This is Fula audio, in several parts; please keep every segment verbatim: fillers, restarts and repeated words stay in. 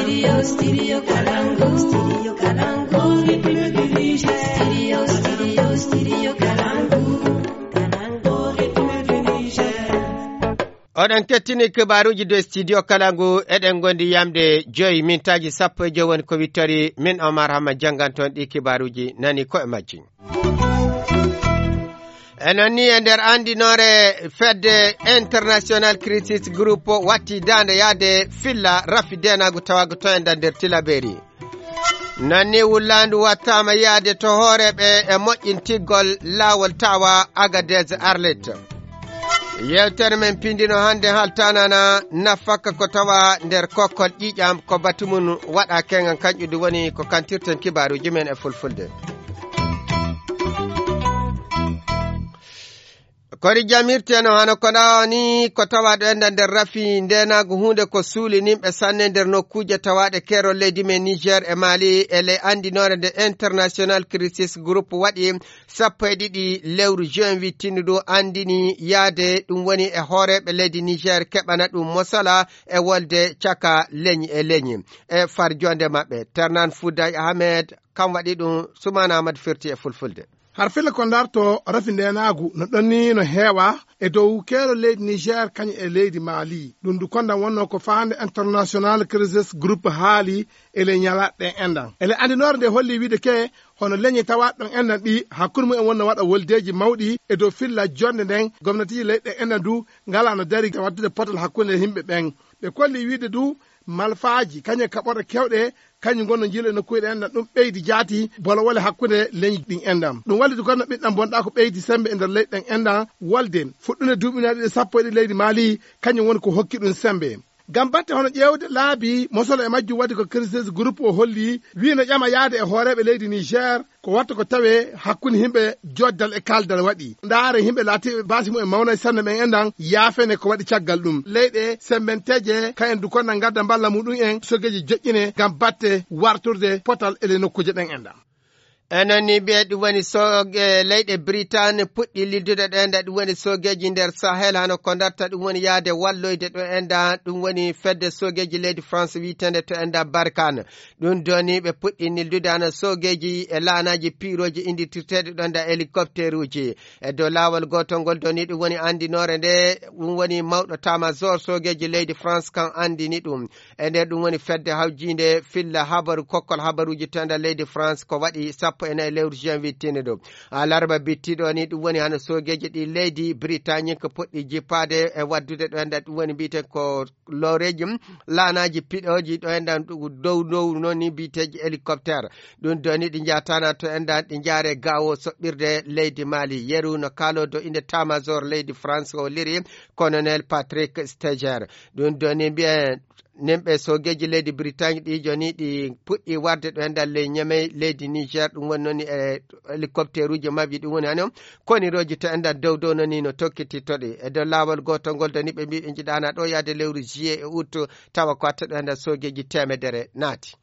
Studio, Studio Kalangu, Studio Kalangu, Republic du Niger. Studio, Studio, Studio Kalangu, Kalangu, Republic du Niger. Oɗon kettini kibaaruuji de Studio Kalangu, eɗen ngondi yamde joyi mintaaji sappo e joyi woni ko wittori min Omar Hamma jannganton ɗi kibaaruuji nani ko e majji. E noon ni e nder anndinoore fedde international crisis group watti daande yaade filla rafi denaagu tawagu to enda nder tilaberi. Noon ni wullaandu wattaama yaade to hooreeɓe e moƴƴintigol laawol tawa Agadez Arlit. Yewtere men pindino hannde haltanana nafaka ko tawa nder kokkol ƴiiƴam ko batu mum waɗa kengan kanƴudi woni ko kantirten kibaaruuji men e fulfulde. Kori jamirteno hano ko ɗawa ni ko tawa ɗo enda nder rafi ndenagu hunde ko suuli nimɓe sanne nder nokkuuje tawaɗe kero leydi men Niger e Mali e ley andinore nde international crisis group waɗi sappo e ɗiɗi lewru juin wittindu ndu andini yaade ɗum woni e hooreɓe leydi Niger keɓana ɗum mosala e wolde caka leñi e leñi e farjonde maɓɓe. Ternan Fouday Ahmed kam waɗi ɗum. Soumana Amadou Ferti e fulfulde. Har fila ko ndarto rafi ndenaagu no ɗonni no heewa e dow keero leydi Niger kañum e leydi Mali. Ɗum du konda wonno ko faande international crisis groupe haali e ley ñalaɗe enɗan. Ele andinoore nde holli wiide ke hono leñi tawaɗ ɗon enɗan ɗi hakkunde mum en wonno waɗa woldeji mawɗi e dow filla jonde nden gomnatiji leyɗe enɗan du ngala no dari waddude potal hakkunde yimɓe ɓen. Ɓe kolli wiide du malfaaji kañum e kaɓorɗe kewɗe kañum ngonno jiilu e nokkuuje ɗen ɗan ɗum ɓeydi jaati bolowole hakkunde leñi ɗin enɗan. Ɗum walliti kono ɓiɗɗan bonɗa ko ɓeydi sembe e nder leyɗi ɗen enɗan wolde fuɗɗunde duuɓi naɗi ɗe sappo e ɗiɗi leydi Mali kañum woni ko hokki ɗum sembe. Ngam batte hono ƴeewde laabi mosolo e majjum wadde ko crisis groupe o holli wi no ƴama yaade e hooreeɓe leydi Niger ko watta ko tawe hakkunde yimɓe joddal e kaldal waɗi ndaare yimɓe laatiɓe baasi mum e mawna e sanne ɓen enɗan yaafene ko waɗi caggal ɗum leyɗe sembenteje ka en dukonna ngadda mballa muɗum en sogeji joƴƴine ngam batte warturde potal ele nokkuuje ɗen enɗan. Enen ni mbiye ɗum woni soge leyɗe Britain puɗɗi liddude ɗo enɗa ɗum woni sogeji nder Sahel hano ko darta ɗum woni yaade walloyde ɗo enɗa ɗum woni fedde sogeji leydi France witende to enɗa Barkane. Ɗum doni ɓe puɗɗi nildude hano sogeji e laanaji piroji indirtirteɗi ɗo nda hélicoptère uji e dow laawol gotol ngol doni ɗum woni andinore nde ɗum woni mawɗo tamazor sogeji leydi France kan andini ɗum. E nder ɗum woni fedde hawjinde filla habaru kokkol habaruji to nder leydi France ko waɗi sappo e nayi lewru juin wittini ɗum. Alarba bittiɗo ni ɗum woni hano sogeji ɗi leydi Britannique puɗɗi jippade e waddude ɗo nder ɗum woni mbiyeten ko loreji laanaji piɗoji ɗo endan dow dow noon ni mbiyeteji hélicoptère. Ɗum doni ɗi jatana to endan ɗi jaare gawo soɓɓirde leydi Mali yeru no kalodo inde tamazor leydi France o liri colonel Patrick Stager. Ɗum doni mbiyen nimɓe sogeji leydi Britagne ɗi joni ɗi puɗɗi warde ɗo endan ley Niamey leydi Niger ɗum woni noon e hélicoptère uji mabɓe ɗum woni hano koniroji to endan dow dow noon no tokkitittoɗe e dow laawol gotol ngol doni ɓe mbi ɓe jiɗana ɗo yaade lewru juillet e août. Tawa ko watta ɗo endan sogeji temedere naati.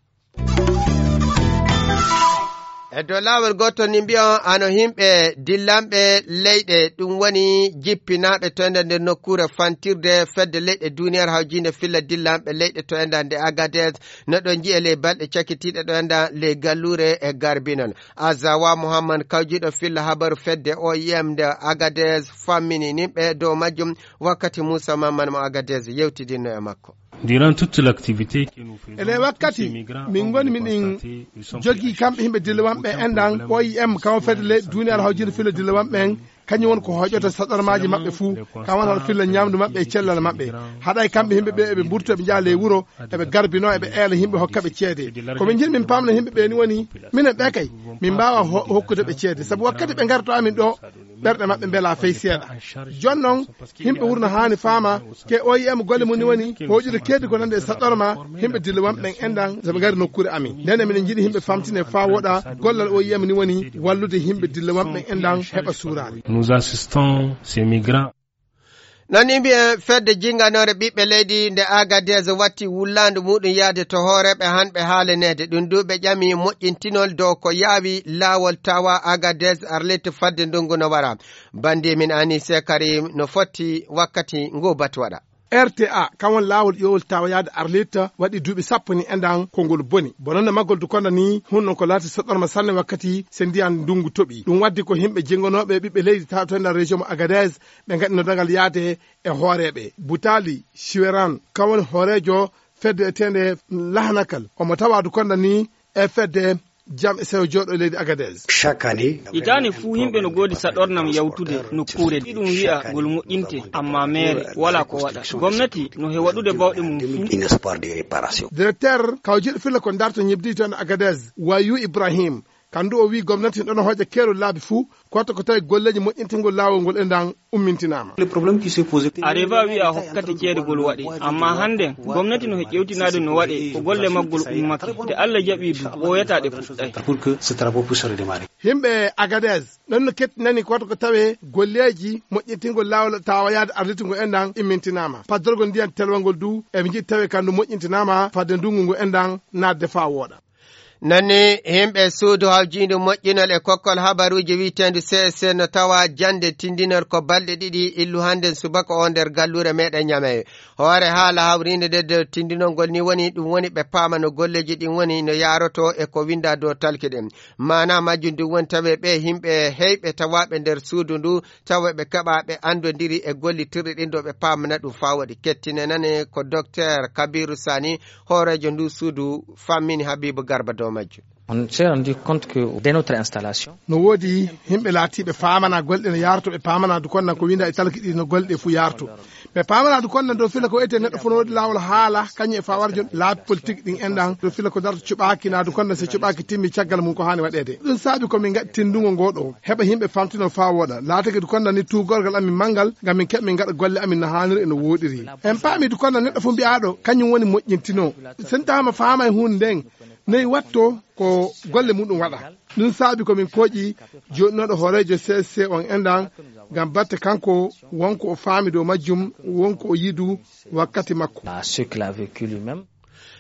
E dow laawol gotol ni mbiyon ano yimɓe dillanɓe leyɗe ɗum woni jippinaɓe to ender nder nokkuure fantirde fedde leyɗe duniyar hawjinde filla dillanɓe leyɗe to ender nde Agadez no ɗon jiye ley balɗe cakitiɗe ɗo ender ley gallure e garbinol. Azawa Muhammad kawjiɗo filla habaru fedde O I M nde Agadez fammini nimɓe dow majjum wakkati Moussa Mammane mo Agadez yewtidinno e makko. Durant toute l'activité que nous faisons, ele wakkati min ngoni miɗen jogi kamɓe yimɓe dillewanɓe enɗan O I M kam fedde leyɗe duniyaaru hawjinde filla dillewanɓe en kañum woni ko hoƴoto saɗormaaji maɓɓe fuu kam woni hono filla ñaamdu maɓɓe e cellal maɓɓe. Haɗay kamɓe yimɓe ɓe eɓe mburto eɓe njaha ley wuro eɓe garbino eɓe eela yimɓe hokka ɓe ceede. Ko min njiɗi min paamna yimɓe ɓe ni woni minen ɓe kay min mbaawa hokkude ɓe ceede sabu wakkati ɓe ngarto amin ɗo ɓerɗe maɓɓe mbela fey seeɗa. Jon noon yimɓe wurno haani faama ke O I M golle mum ni woni hoƴude keedi ko nande e saɗɗorma yimɓe dillewanɓe ɓen enɗan soɓe ngari nokkuure amin nden emin njiɗi yimɓe famtine faa woɗa gollal O I M ni woni wallude yimɓe dillewanɓe ɓen enɗan heɓa suuraade. Nous assistons ces migrants. Noon ni mbiyen fedde jinganore ɓiɓɓe leydi nde Agadez watti wullaandu muɗum yaade to hooreeɓe hanɓe haaleneede ɗum du ɓe ƴami moƴƴintinol dow ko yaawi laawol tawa Agadez Arlit fadde ndungu no wara. Bandi min Anise Karim no fotti wakkati ngu batu waɗa. R T A, kan woni laawol ƴoowol tawa yaade Arlit, waɗi duuɓi sappo ni enɗan ko ngol boni. Bonande maggol du konda ni, hun non ko laati soɗɗorma sanne wakkati se ndiyan ndungu toɓi. Ɗum waddi ko himɓe jingonooɓe ɓiɓɓe leydi tawa to enɗan région mo Agadez, ɓe ngaɗino dagal yaade e hooreeɓe. Butali Shiweran, kan woni hooreejo fedde etende Lahanakal. Omo tawa du konda ni e fedde jam e sewo jooɗo e leydi Agadez. Chaque année, hitaande fuu, yimɓe no ngoodi saɗornam yawtude nokkuure. Iɗum wi'a ngol moƴƴinte, ammaa meere walaa ko waɗa. Gomnati no he waɗude bawɗe mum fuu. Directeur kawjiiɗo filla ko darto ñebdi toon Agadez, Wayu Ibrahim, kandu o wi gomnati ɗon hooƴa keerol laabi fuu, koto ko tawi golleeji moƴƴintingol laawol ngol e ndan ummintinaama. Areva wi'a hokkati ceede gol waɗi, ammaa hannden gomnati no he ƴewtinaade no waɗe ko golle maggol ummake. Nde Allah jaɓi du, ɓooyataa ɗe puɗɗay. Pour que ce travaux puisse redémarrer. Himɓe Agadez ɗon no kettinani koto ko tawe golleeji moƴƴintingol laawol tawa yaade arlitungol e ndan immintinaama. Paddorgol ndiyan telwangol du, eɓe njiɗi tawe kandu moƴƴintinaama fadde ndungu ngu e ndan naatde faa wooɗa. Nani himɓe suudu hawjiindu moƴƴinol e kokkol habaruuji wi'eteendu C S C no tawa jannde tindinol ko balɗe ɗiɗi illu hannden subaka o nder galluure meɗen Ñamey. Hoore haala hawriinde nde dow tindinol ngol ni woni, ɗum woni ɓe paama no golleeji ɗin woni no yaaroto e ko winnda dow talki ɗin. Maana majjum ɗum woni tawe ɓe himɓe heyɓe tawaaɓe nder suudu ndu, tawa ɓe keɓa ɓe anndondiri e gollitirɗe ɗin ɗo ɓe paamana ɗum faa waɗi. Kettine nane ko Docteur Kabiru Sani, hooreejo ndu suudu, fammini Habibu Garba dow majjum. On s'est rendu compte que dès notre installation, no woodi himɓe laatiiɓe paamana golɗe no yaarto, ɓe paamana du konnan ko winda e talki ɗi no golɗe fuu yaarto. Ɓe paamana du konnan dow fila ko ete neɗɗo fof no woodi laawol haala, kañum e fawar jon laabi politique ɗin enɗan, dow fila ko darto cuɓaaki, na du konnan so cuɓaaki timmi caggal mum ko haani waɗeede. Ɗum saabi ko min ngaɗi tindungo ngo ɗo, heɓa yimɓe famtino faa wooɗa. Laatake du konnan ni tuugorgal amin manngal, ngam min keɓa min ngaɗa golle amin no haaniri e no wooɗiri. En paami du konnan neɗɗo fof mbi'aaɗo, kañum woni moƴƴintino. Sen taama faama e huunde nden, noy watto ko golle muɗum waɗa. Ɗum saabi ko min kooƴi jooɗinooɗo hooreejo C S C on enɗan, ngam batte kanko wonko o faami dow majjum, wonko o yidu wakkati makko.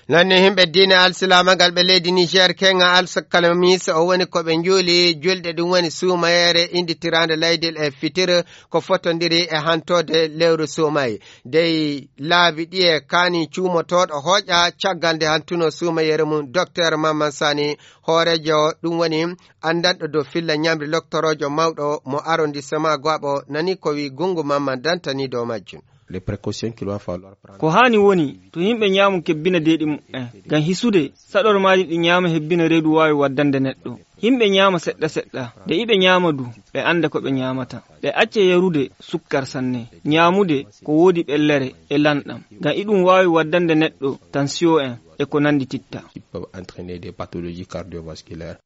Nani himɓe diine alsilaama ngal ɓe leydi Niger, keŋa alkalamis o woni ko ɓe njuuli julɗe, ɗum woni suumayeere innditiraande laydel e fitir, ko fotondiri e hantoode lewru suumay. Dey laabi ɗiye kaani cuumotooɗo hooƴa caggal nde hantuno suumayeere mum. Docteur Mamman Sani, hooreejo ɗum woni anndanɗo dow filla ñamri, loktoroojo mawɗo mo arrondissement Goaɓo, nani ko wi Gungu Mamman dantani dow majjum. Les précautions qu'il va falloir prendre. Ko haani woni to yimɓe ñaamu kebbina deeɗi muɓɓen ngam hisude saɗormaaji ɗi ñaama hebbina reedu waawi waddande neɗɗo. Yimɓe ñaama seɗɗa seɗɗa, nde iɓe ñaama du, ɓe annda ko ɓe ñaamata. Ɓe acca yarude sukkar sanne, ñaamude ko woodi ɓellere e lanɗam, ngam iɗum waawi waddande neɗɗo tension en e ko nanndi titta. Qui peuvent entraîner des pathologies cardiovasculaires.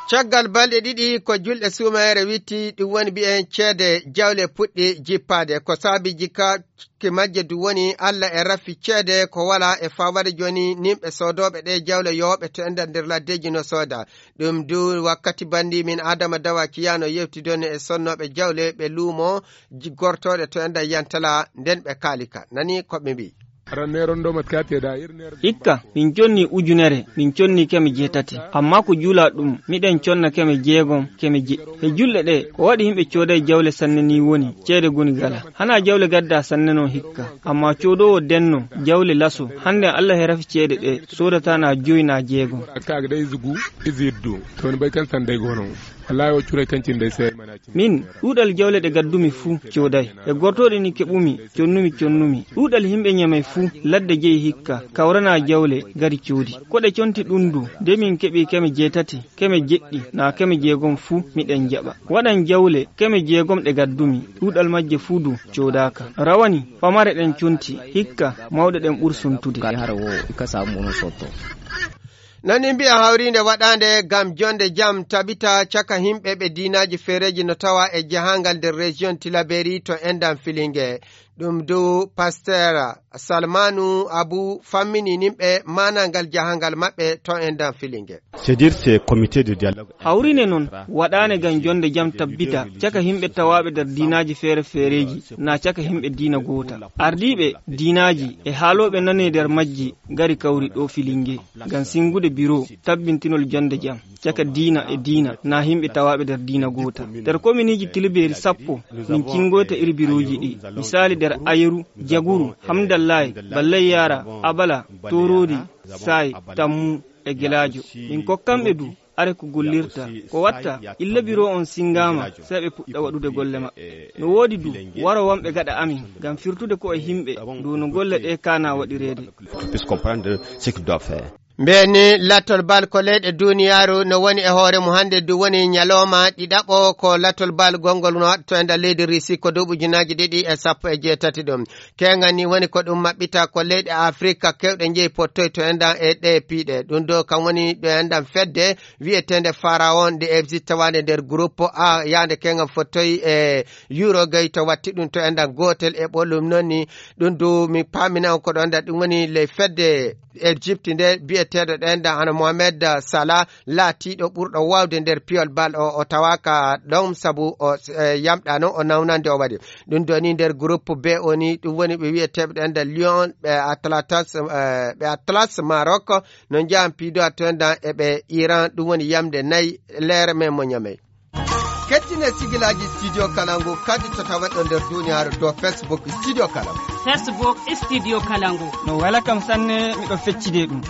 Caggal balɗe ɗiɗi ko julɗe suumayere witti, ɗum woni mbiyen ceede jawle puɗɗi jippaade. Ko saabi jikkaaki majje du woni Alla e rafi ceede ko wala e fawade jooni nimɓe soodooɓe ɗe jawle yooɓe to enɗan nder laddeeji no sooda. Ɗum du wakkati banndi min Adama Dawa Kiyano yewtidoni e sonnooɓe jawle ɓe luumo ji-, gortooɗe to enɗan Yantala nden ɓe kaalika. Nani ko ɓe mbi'i. Hikka, min conni ujunere, min conni keme jeetati. Ammaa ko juula ɗum, miɗen conna keme jeegom, keme jeɗɗi. He julɗe ɗe, ko waɗi yimɓe cooday jawle sanne ni woni, ceede goni gala. Hanaa jawle gadda sanne non hikka. Ammaa coodoowo denno, jawle laso, hannden Alla he rafi ceede ɗe, soodata na joy na jeegom. Kaaga day zugu, iziddu. To woni bay kan sanday gono. Wallahi o curay kan cin day sai mana cin. Min, ɗuuɗal jawle ɗe gaddumi fuu cooday. E gortooɗe ni keɓumi, connumi, connumi. Ɗuuɗal yimɓe Ñamey fuu, ladde jeyi hikka, kawrana jawle, gari coodi. Ko ɗe conti ɗum du, nde min keɓi keme jeetati, keme jeɗɗi, naa keme jeegom fuu, miɗen jaɓa. Waɗan jawle, keme jeegom ɗe gaddumi, ɗuuɗal majje fuu du coodaaka. Rawani, pamare ɗen conti, hikka, mawɗe ɗen ɓur suntude. Kay hara wo, ka samu mono sotto. Nani mbi'a hawriinde waɗaande ngam jonde jam tabita caka himɓe ɓe diinaaji feereeji no tawa e jahaangal nder région Tilaberi to enɗan Filinge. Ɗum dow Pasteur Salmanu Abu fammini nimɓe maanangal jahangal maɓɓe to en dan Filinge. C'est dire, c'est comité de dialogue. Hawrine noon waɗaane ngam jonde jam tabbita caka yimɓe tawaaɓe nder diinaaji feere feereeji, naa caka yimɓe diina goota. Ardiiɓe diinaaji e haalooɓe nane nder majji ngari kawri ɗo Filinge ngam singude biro tabbintinol jonde jam caka diina e diina, naa yimɓe tawaaɓe nder diina goota. Nder kominiiji tilbeeri sappo min cingoyta iri birooji ɗi. Misaali nder Ayeru, Jaguru, Hamdallaay, Ballay Yaara, Abala, Tooroodi, Saay, Tammu e Gelaajo. Min kokkanɓe du are ko gollirta. Ko watta, illa biro on singaama, sey ɓe puɗɗa waɗude golle maɓɓe. No woodi du waro wonɓe gaɗa amin, ngam firtude ko e yimɓe, dow no golle ɗe kaana waɗireede. Puisse comprendre ce qu'il doit faire. Mbeni lattol bal ko leyɗe duniyaaru no woni e hoore mum. Hannde du woni ñalooma ɗiɗaɓo ko lattol bal gonngol no waɗto e nder leydi Russie ko duuɓi ujunaaji ɗiɗi e sappo e jeetati ɗum. Keeŋan ni woni ko ɗum maɓɓita ko leyɗe Afrika kewɗe njeyi pottoyto enɗan e ɗe piiɗe. Ɗum ɗo kam woni ɗo enɗan fedde wi'eteende Pharaon nde Égypte tawaande nder groupe A yaande keeŋan fottoyi e Uruguay to watti ɗum to enɗan gootel e ɓolum noon ni. Ɗum du mi paamina on ko ɗo enɗan ɗum woni ley fedde Egypte nde biyeteeɗo ɗo enɗan hano Mohamed Salah laatiiɗo ɓurɗo waawde nder piyol bal o, o tawaaka ɗon sabu o, eh, yamɗaano o nawnande o waɗi. Ɗum ɗo ni nder groupe B o ni ɗum woni ɓe wiyeteeɓe ɗo enɗan Lyon, ɓe Atlas, eh, ɓe Atlas Maroc no njahan piido a to enɗan e ɓe Iran ɗum woni yamde nayi leere men mo ñamey. Kettine sigilaaji Studio Kalangu kadi to tawa ɗo nder duniyaaru to Facebook Studio Kalangu. Facebook Studio Kalangu. No wela kam sanne miɗo feccide ɗum.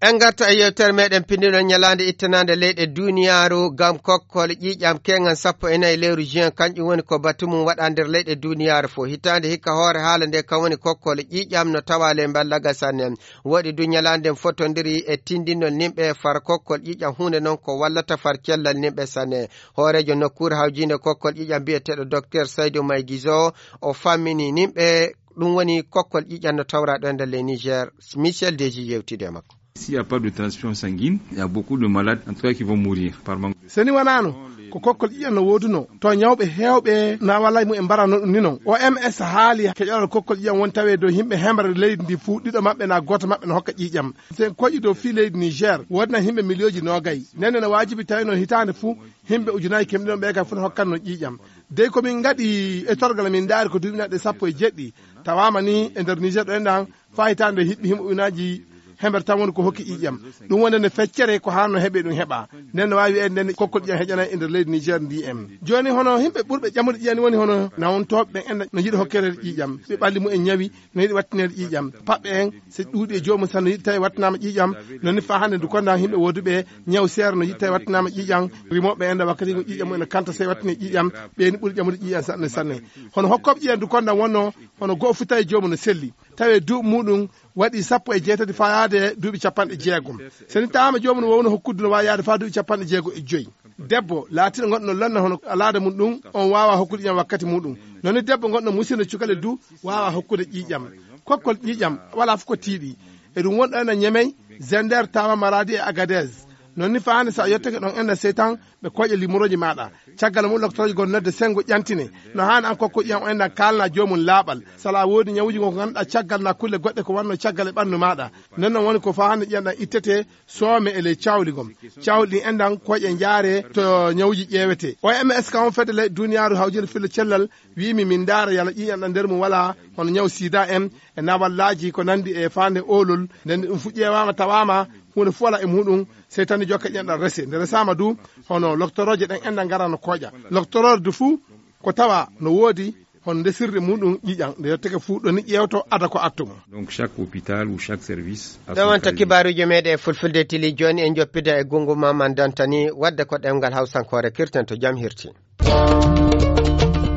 En ngarta e yewtere meɗen pinndinol ñalaande ittanaande leyɗe duniyaaru ngam kokkol ƴiiƴam keeŋan sappo e nayi lewru juin, kanƴum woni ko batu mum waɗa nder leyɗe duniyaaru fof. Hitaande hikka hoore haala nde kam woni kokkol ƴiiƴam no tawa ley mballaga sanne. Woɗi du ñalaande nden fotondiri e tindinol nimɓe far kokkol ƴiiƴam huunde noon ko wallata far cellal nimɓe sanne. Hooreejo nokkuure hawjiinde kokkol ƴiiƴam biyeteeɗo Docteur Saydou May Gizo o fammini nimɓe ɗum woni kokkol ƴiiƴam no tawra ɗo e nder ley Niger. Michel Deji yewtide e makko. S'il n'y a pas de transfusion sanguine, il y a beaucoup de malades, en tout cas, qui vont mourir par manque de. So ni wanaano ko kokkol ƴiiƴam no wooduno to ñawɓe heewɓe na walay mu en mbarano ɗum ni noon. O M S haali keƴalal kokkol ƴiiƴam won tawe dow yimɓe hemre leydi ndi fuu ɗiɗo maɓɓe na gooto maɓɓe no hokka ƴiiƴam. Sen koƴi dow fii leydi Niger woodna yimɓe miliyooji noogay. Nden no waajibi tawi noon hitaande fuu yimɓe ujunaaji kemɗi ɗon ɓe kay fuu no hokkan noon ƴiiƴam. Dey ko min ngaɗi e torgal min ndaari ko duuɓi naɗɗe sappo e jeɗɗi tawaama ni e nder Niger ɗo enɗan faa hitaande hiɓɓi himo ujunnaaji hemere tan woni ko hokki ƴiiƴam. Ɗum wonde nde feccere ko haanno heɓe ɗum heɓa. Nden no waawi wiyeede nden kokkol ƴiiƴam heƴanay e nder leydi Niger ndi en. Jooni hono yimɓe ɓurɓe ƴamude ƴiiƴam ni woni hono nawontooɓe ɓen en no yiɗi hokkeede ƴiiƴam. Ɓe ɓalli mumen ñawi no yiɗi wattineede ƴiiƴam. Paɓɓe en so ɗuuɗi e joomum tan no yiɗi tawi wattinaama ƴiiƴam. No ni faa hannde ndu konda yimɓe wooduɓe ñaw seere no yiɗi tawi wattinaama ƴiiƴam. Rimooɓe en wakkati ngu ƴiiƴam mumen no kanta sey wattine ƴiiƴam. Ɓe ni ɓuri ƴamude ƴiiƴam sanne sanne. Hono hokkooɓe ƴiiƴam ndu konda wonno hono go'o fu tawi joomum no selli. Tawi duuɓi muɗum waɗi sappo e jeetati faa yaade duuɓi capanɗe jeegom. So ni tawaama joomum no wowno hokkude no waawi yaade faa duuɓi capanɗe jeego e joy. Debbo laatiiɗo gonɗo no lonna hono alaada mum ɗum, on waawaa hokkude ƴiiƴam wakkati muɗum. Noon ni debbo gonɗo musiino cukale du waawaa hokkude ƴiiƴam. Kokkol ƴiiƴam walaa fof ko tiiɗi. E ɗum wonɗo ena Ñemey, Zender, Tawa, Maradi e Agadez. Noon ni faa hannde so a yottake ɗon enɗan sey tan ɓe kooƴa limorooji maaɗa. Caggal mum loktorooje goo nodde senngo ƴantine. No haani an kokko ƴiiƴam o enɗan kaalna joomum laaɓal. So alaa woodi ñawuuji goo ko ngannduɗaa caggal naa kulle goɗɗe ko wannoo caggal e ɓanndu maaɗa. Nden noon woni ko faa hannde ƴiiƴam ɗam ittetee soome e ley cawli gom. Cawli ɗin enɗan kooƴe njaaree to ñawuuji ƴeewetee. O M S kam on fedde ley duniyaaru hawjinde filla cellal wiimi min ndaara yala ƴiiƴam ɗam nder mum walaa hono ñaw sida en e nawallaaji ko nanndi e faande oolol. Nden ɗum fu ƴeewaama tawaama huunde fu walaa e muɗum sey tan ni jokka ƴiiƴam ɗam rese. Nde resaama du hono loktorooje ɗen enɗan ngara no kooƴa. Loktoroore du fu ko tawa no woodi hono ndesirde muɗum ƴiiƴam nde yottake fu ɗo ni ƴeewto ada ko attu mum. Donc chaque hôpital ou chaque service a son. Ɗo wonta kibaaruuji meɗen e fulfulde tili jooni en joppida e gungu Maman Dantani wadde ko ɗemngal hawsankoore kirten to jam hirti.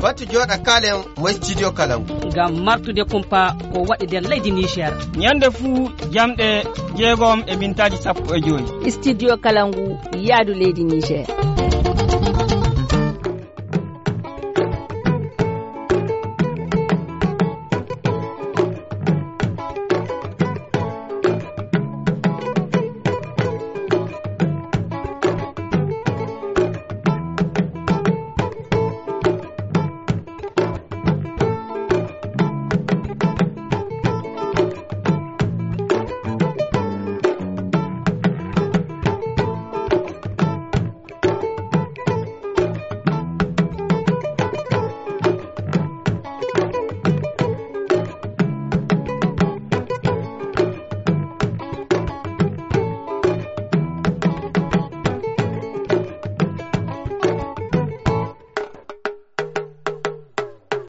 Batu jooɗa kaalen mo studio Kalangu. Ngam martude kumpa ko waɗi nder leydi Niger. Ñande fuu jamɗe jeegom e mintaaji sappo e joy. Studio Kalangu yaadu leydi Niger.